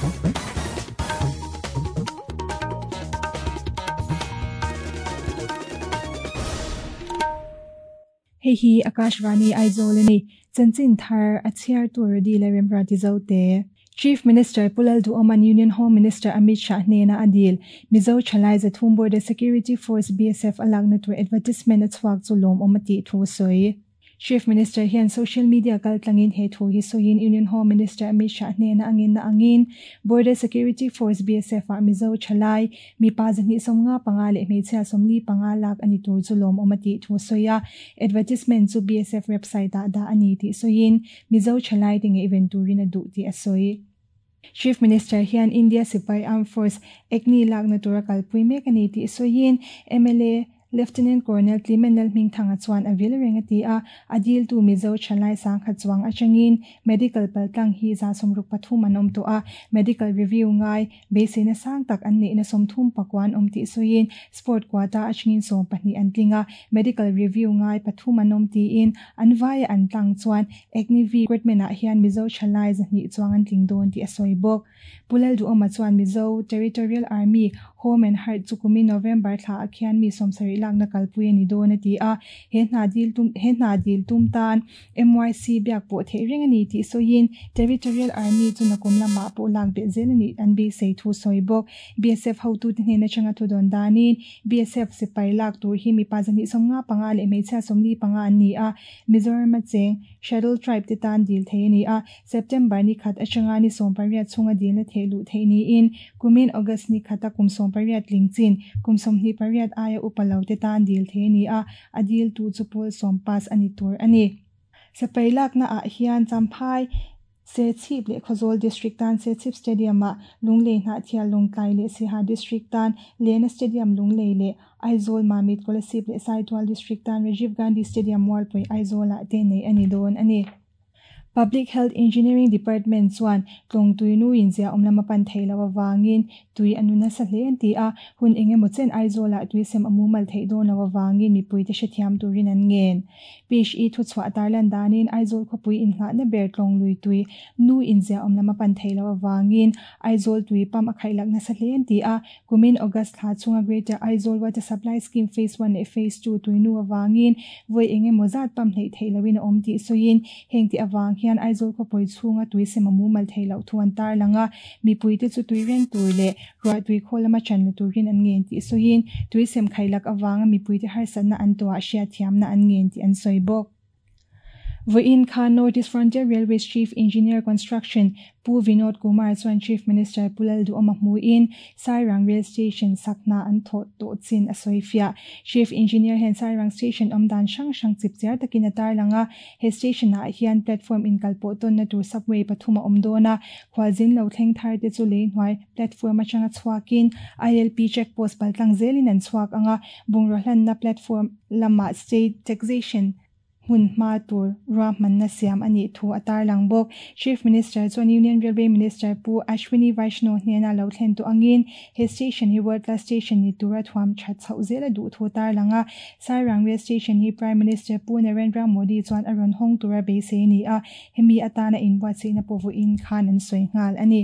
Hei hi Akashvani Aizawl a ni. Chanchin thar a chhiar tur Dila Remruati Zote. Chief Minister Pu Lalduhoma'n Union Home Minister Amit Shah hnena a dil, Mizo thalai zathum Border Security Force, BSF, a lakna tur advertisement a chhuak chu lawmawm a tih thu a sawi. Chief Minister hian social media kaltlangin he thu hi sawiin Union Home Minister Amit Shah hnena a ngenna angin Border Security Force, BSF, ah Mizo thalai mipa 255 leh hmeichhia 45 lak a ni tur chu lawmawm a tih thu a sawi a. Advertisement chu BSF website ah dah a ni tih sawiin Mizo thalai te ngaihven turin a duh tih a sawi. Chief Minister hian India sipai Armed Force Agni lakna tura kalpui mek a ni tih sawiin mla Lieutenant Colonel Clement Lalhmingthanga chuan a vil reng a ti a, a diltu Mizo thalai sangkhat chuang atangin medical paltlang hi 63 an awm tawh a, medical review ngai beiseina sang tak an neihna 34 an awm tih sawiin sport quota atangin 12 an tling a, medical review ngai pathum an awm tiin an vaia an tlang chuan Agniveer recruitment ah hian Mizo thalai 200 chuang an tling dawn tih a sawi bawk. Pu Lalduhawma chuan Mizo Territorial Army, Home and Heart chu kumin November thla ah khian mi 70 lakna kalpui a ni dawn a ti a, he hna dil tum he hna dil tum tan MYC biak pawh theih reng a ni tih sawiin Territorial Army chu nakum lamah pawh lak belh zel a nih an beisei thu sawi bawk. BSF hotute hnen atanga thu dawn danin BSF sipai lak tur hi mipa 255 leh hmeichhia 45 an ni a, Mizoram a cheng Scheduled Tribe te tan dil thei a ni a, September ni khat atanga ni 18 chhunga dilna theih luh theih niin kumin August ni khata kum 18 tling chin kum 28 aia upa lo te tan dil thei a ni a, a diltu chu pawl 10 pass a ni tur a ni. Sipai lakna ah hian Champhai, Serchhip leh Khawzawl District tan Serchhip Stadium ah Lunglei Hnahthial Lawngtlai leh Siaha District tan Lena Stadium Lunglei leh Aizawl Mamit Kolasib leh Saitual District tan Rajiv Gandhi Stadium Mualpui Aizawl ah te nei a ni dawn a ni. Public Health Engineering Department chuan tlawng tui nu in zia awm lama pan thei lo avangin tui a nu nasa hle an ti a, hun eng emaw chen Aizawl ah tui sem a mumal theih dawn lo avangin mipuite hrethiam turin an ngen. PHE thuchhuah tarlan danin Aizawl khawpui inngahna ber tlawng lui tui nu in zia awm lama pan thei lo avangin Aizawl tui pump a khaihlak nasa hle an ti a, Kumin August thla chhunga Greater Aizawl Water Supply Scheme Phase One leh Phase Two tui nu avangin vawi eng emaw zat pump hleih theih loin a awm tih sawiin heng tih avang hian Aizawl khawpui chhunga tui sem a mumal theih loh thu an tarlang a, mipuite chu tui reng tur leh ruah tui khaw lama ṭan la turin an ngen tih sawiin tui sem khailak avanga mipuite harsatna an tuah hriatthiamna an ngen tih an sawi bawk. Vawiin khan North East Frontier Railways Chief Engineer Construction Pu Vinod Kumar chuan Chief Minister Pu Lalduhawma hmuin Sairang Rail Station sakhna an thawh tawh chin a sawi fiah. Chief Engineer hian Sairang Station awm dan hrang hrang chip chiar takin a tarlang a, he station ah hian platform inkalpawh tawnna tur subway pathum a awm dawn a, khualzin lo thleng thar te chu lei hnuai platform atanga chhuakin ILP check post paltlang zelin an chhuak ang a, bungraw hlanna platform lamah state taxation hmun hma tur ruahmanna siam a nih thu a tarlang bawk. Chief Minister chuan Union Railway Minister Pu Ashwini Vaishnaw hnena lo thlen tawh angin he station hi world class station ni tura thuam that chhoh zel a duh thu a tarlang a. Sairang Rail Station hi Prime Minister Pu Narendra Modi chuan a rawn hawng tura beisei a ni a, hemi atana inbuatsaihna pawh vawiin khan an sawi nghal a ni.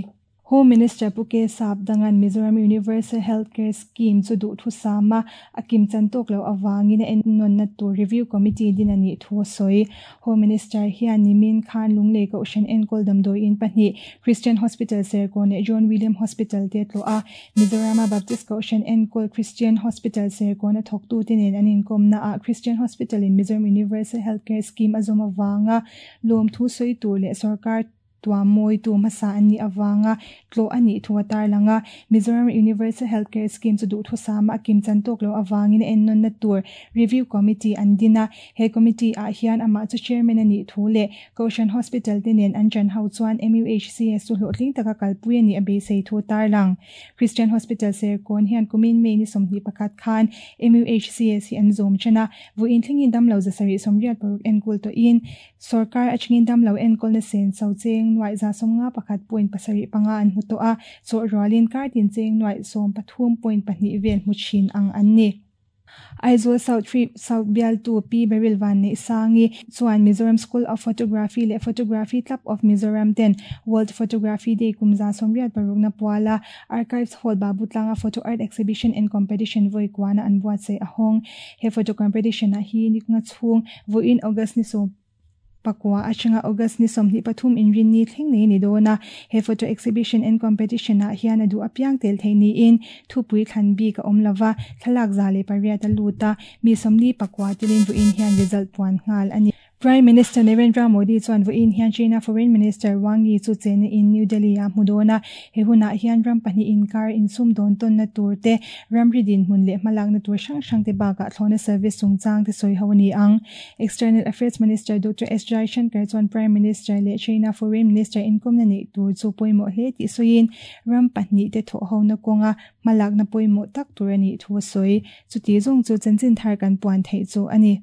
Home Minister Pu K Sapdanga'n Mizoram Universal Health Care Scheme chu duhthusam a, a kim chan tawk loh avangin a ennawnna tur Review Committee din a nih thu a sawi. Home Minister hian nimin khan Lunglei Kohhran enkawl damdawiin pahnih, Christian Hospital Serkawn leh John William Hospital te tlawh a, Mizorama Baptist Kohhran enkawl Christian Hospital Serkawn a thawktute nen an inkawmnaah Christian Hospital in Mizoram Universal Health Care Scheme a zawm avanga lawmthu sawi tur leh sorkar Tuam mawitu hmasa an nih avanga tlawh a nih thu a tarlang a, Mizoram Universal Health Care Scheme chu duhthusama a kim chan tawk loh avangin a ennawnna tur Review Committee an din a, he committee ah hian amah chu Chairman a nih thu leh Kohhran Hospital te nen an ṭan ho chuan MUHCS chu hlawhtling taka kalpui a nih a beisei thu a tarlang. Christian Hospital Serkawn hian kumin May ni 21 khan MUHCS hi an zawm ṭan a, vawiin thlengin damlo 786 enkawl tawhin Sorkar atangin damlo enkawlna sen cho cheng nuaih 51.75 an hmu tawh a, chawh rualin kar tin cheng nuaih 13.2 vel hmu thin ang an ni. Aizawl South Trip South bialtu Pi Beryl Vanneihsangi chuan Mizoram School of Photography leh Photography Club of Mizoram ten World Photography Day kum 86na puala Archives Hall Babutlanga Photo Art Exhibition and Competition vawi kuana an buatsaih a hawng. He photo competition ah hi niknga chhung vawiin August ni 14 atanga August ni 23 inrinni thleng nei ni dawn a. He photo exhibition and competition ah hian a duh apiang tel theih niin thupui thlan bik a awm lova, thlalak 108 a lut a, mi 49 telin vawiin hian result puan nghal a ni. Prime Minister Narendra Modi chuan vawiin hian China Foreign Minister Wang Yi chu chena in New Delhi ah hmu dawn a, he hunah hian ram pahnih inkar insum dawn tawnna tur te, ramri dinhmun leh hmalakna tur hrang hrang te bakah thlawhna service chungchang te sawi ho a ni ang. External Affairs Minister Doctor S Jaishankar chuan Prime Minister leh China Foreign Minister inkawmna neih tur chu pawimawh hle tih sawiin ram pahnih te thawhhona kawnga hmalakna pawimawh tak tur a nih thu a sawi. Chuti zawng chu chanchin thar kan puan theih chu a ni.